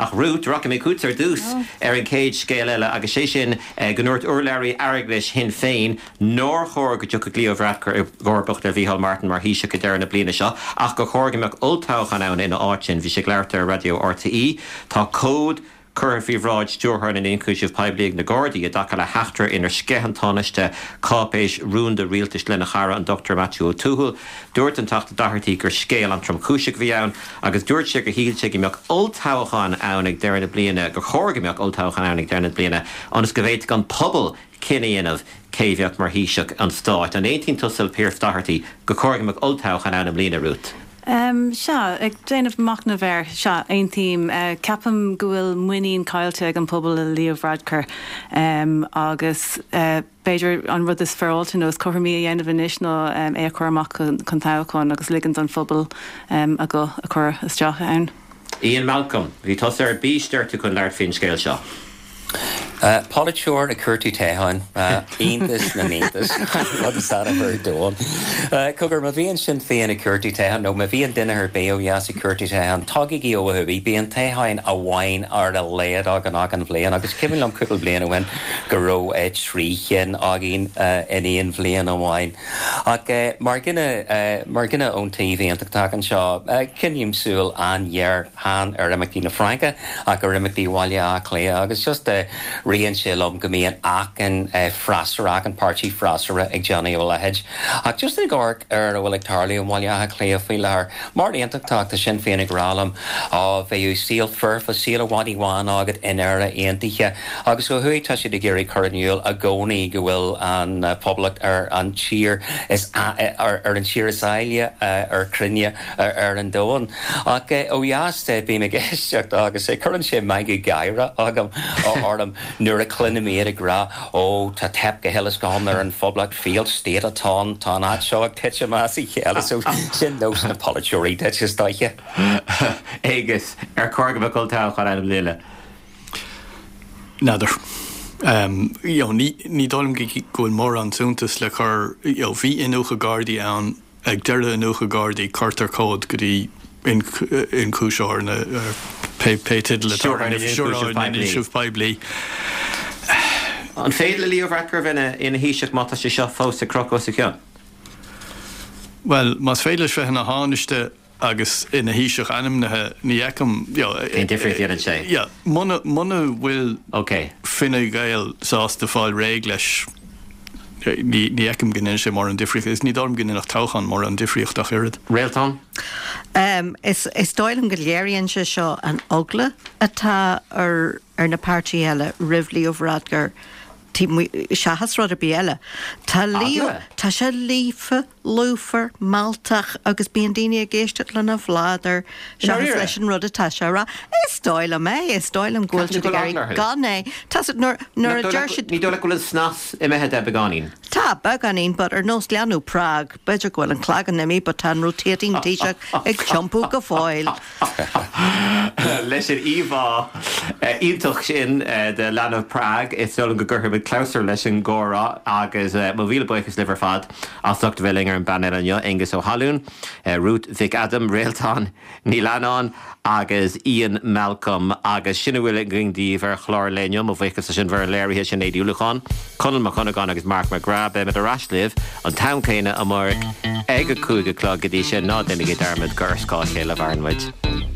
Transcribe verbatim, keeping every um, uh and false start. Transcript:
Ach Ruth, rachaidh mé chugat ar dtús ar an chéad scéal eile agus sé sin go ndúirt urlabhraí airgeadais Shinn Féin nár chóir go dtiocfadh Leo Varadkar i gcomharbacht ar Mhícheál Martin mar Thaoiseach ag deireadh na bliana seo ach gur chóir go mbeadh olltoghchán ann ina áit sin. Bhí sé ag labhairt ar Raidió RTÉ. Tá comhad curtha faoi bhráid Stiúrthóir na nIonchúiseamh Poiblí ag na Gardaí i dtaca le heachtra inar sceith an Tánaiste cáipéis rúnda rialtais lena chara an Dr Maitiú Ó Tuathail. Dúirt an Teachta Doherty gur scéal an-tromchúiseach a bhí ann agus dúirt sé gur shíl sé go mbeadh olltoghchán ann ag deireadh na bliana, gur chóir go mbeadh olltoghchán ann ag deireadh na bliana ionas go bhféadfadh an pobal cinneadh a dhéanamh cé bheadh mar Thaoiseach an stáit. An aontaíonn tusa le Pearse Doherty gur chóir go mbeadh olltoghchán ann i mbliana, Ruth? Um, sea, ag déanamh machnamh air, sea, aontaím. Uh, ceapaim go bhfuil muinín caillte ag an pobal i Leo Varadkar um, agus uh, b'fhéidir an rud is féaráilte nó is cothromaí a dhéanamh anois ná um, é a chur amach chun toghcháin agus ligean don phobal um, a guth a chur isteach ann. Ian Malcolm, bhí tusa ar bís deir tú chun labhairt faoin scéal seo. Uh, Polaiteoir ag cuartú toghcháin uh, iontas na n-iontas rud is annamh ar domhan. Uh, Cogar má bhíonn Sinn Féin ag cuartú toghcháin nó má bhíonn duine ar bith ó dheas ag cuartú toghcháin tagaigí ó thuaidh bíonn toghchán amháin ar a laghad againn achan bhliain agus cuimhin liom cúpla bliain ó shin go raibh uh, trí chinn againn uh, in aon bhliain amháin. Ach uh, mar dhuine uh, mar dhuine ón taobh aontachtach anseo uh, coinním súil an-ghéar chan ar imeachtaí na Fraince ach ar imeachtaí Bhaile Átha Cliath agus just uh, ritheann sé liom go mbíonn achan uh, freasúra achan páirtí freasúra ag déanamh a leithéid. Ach just ag amharc ar a bhfuil ag tarlú i mBaile Átha Cliath faoi láthair mar aontachtach tá Sinn Féin ag rá liom á bheadh saol foirfe saol i bhfad amháin agat in Éire aontaithe agus ó thuaidh tá siad ag iarraidh cur in iúl i gcónaí go bhfuil an uh, poblacht ar an tír is ar, ar an tír is áille uh, ar cruinne ar, ar an domhan. Ach uh, ó dheas bím ag éisteacht agus é cuireann sé meangadh gáire agam orm nuair a chluinim iad ag rá ó tá teip go huile is go hiomlán ar an phoblacht failed state atá tá an áit seo ag titim as a chéile so sin nós na polaiteoirí duit is dóiche. Agus ar chóir go mbeadh olltoghchán ann i mbliana. N'fheadar. Um, you know, ní ní dóigh liom go bhfuil mórán suntas le cur you know, bhí iniúchadh Gardaí ann ag deireadh iniúchadh Gardaí cuirtear comhad go dtí ionchúisitheoir na pé pé teideal Stiúrthóir poiblí. An féidir le Leo Varadkar bheith ina Thaoiseach má tá sé seo fós ag crochadh os a chionn? Well, más féidir leis bheith ina Thánaiste agus ina Thaoiseach ainmnithe ní fheicim Cén difríocht a dhéanann sé? Muna bhfuil Ok. Fine Gael sásta fáil réidh leis ní fheicim go ndéanann sé mórán difríocht is ní dóigh liom go ndéanfadh toghchán mórán difríocht ach oiread. Réaltán? Um, is, is dóigh liom go léiríonn sé seo an eagla atá ar, ar na páirtithe eile roimh Leo Varadkar seachas rud ar bith eile. Tá Leo Tá sé líofa, lúfar, mealltach agus bíonn daoine ag éisteacht lena bhladar seachas leis an rud atá sé rá. Is dóigh liom é, is dóigh liom go bhfuil siad ag iarraidh gan é. Tá nuair nuair a deir siad Ní dóigh leat go bhfuil an snas imithe de beagáinín. Tá beagáinín, but ar nós leanbh Prague, b'fhéidir go bhfuil an cloigeann imithe, but tá an rotating Taoiseach ag tiompú go fóill. Leis an íomhá iontach sin de leanbh Prague is dóigh liom go gcuirfimid clabhsúr leis an gcomhrá agus mo mhíle buíochas libh ar fad as ucht a bheith linn ar an bpainéal inniu Aengus Ó hAlún, Ruth Mhic Adaim Réaltán Ní Leannáin agus Ian Malcolm agus sin a bhfuil againn daoibh ar chlár an lae inniu mo bhuíochas leis an bhfoireann léirithe Sinéad Uí Uallacháin, Conall Mac Cunagáin agus Mark McGrath beimid ar ais libh an t-am céanna amárach ag a cúig a chlog go dtí sin ná déanaigí dearmad gur ar scáth a chéile a mhaireann muid.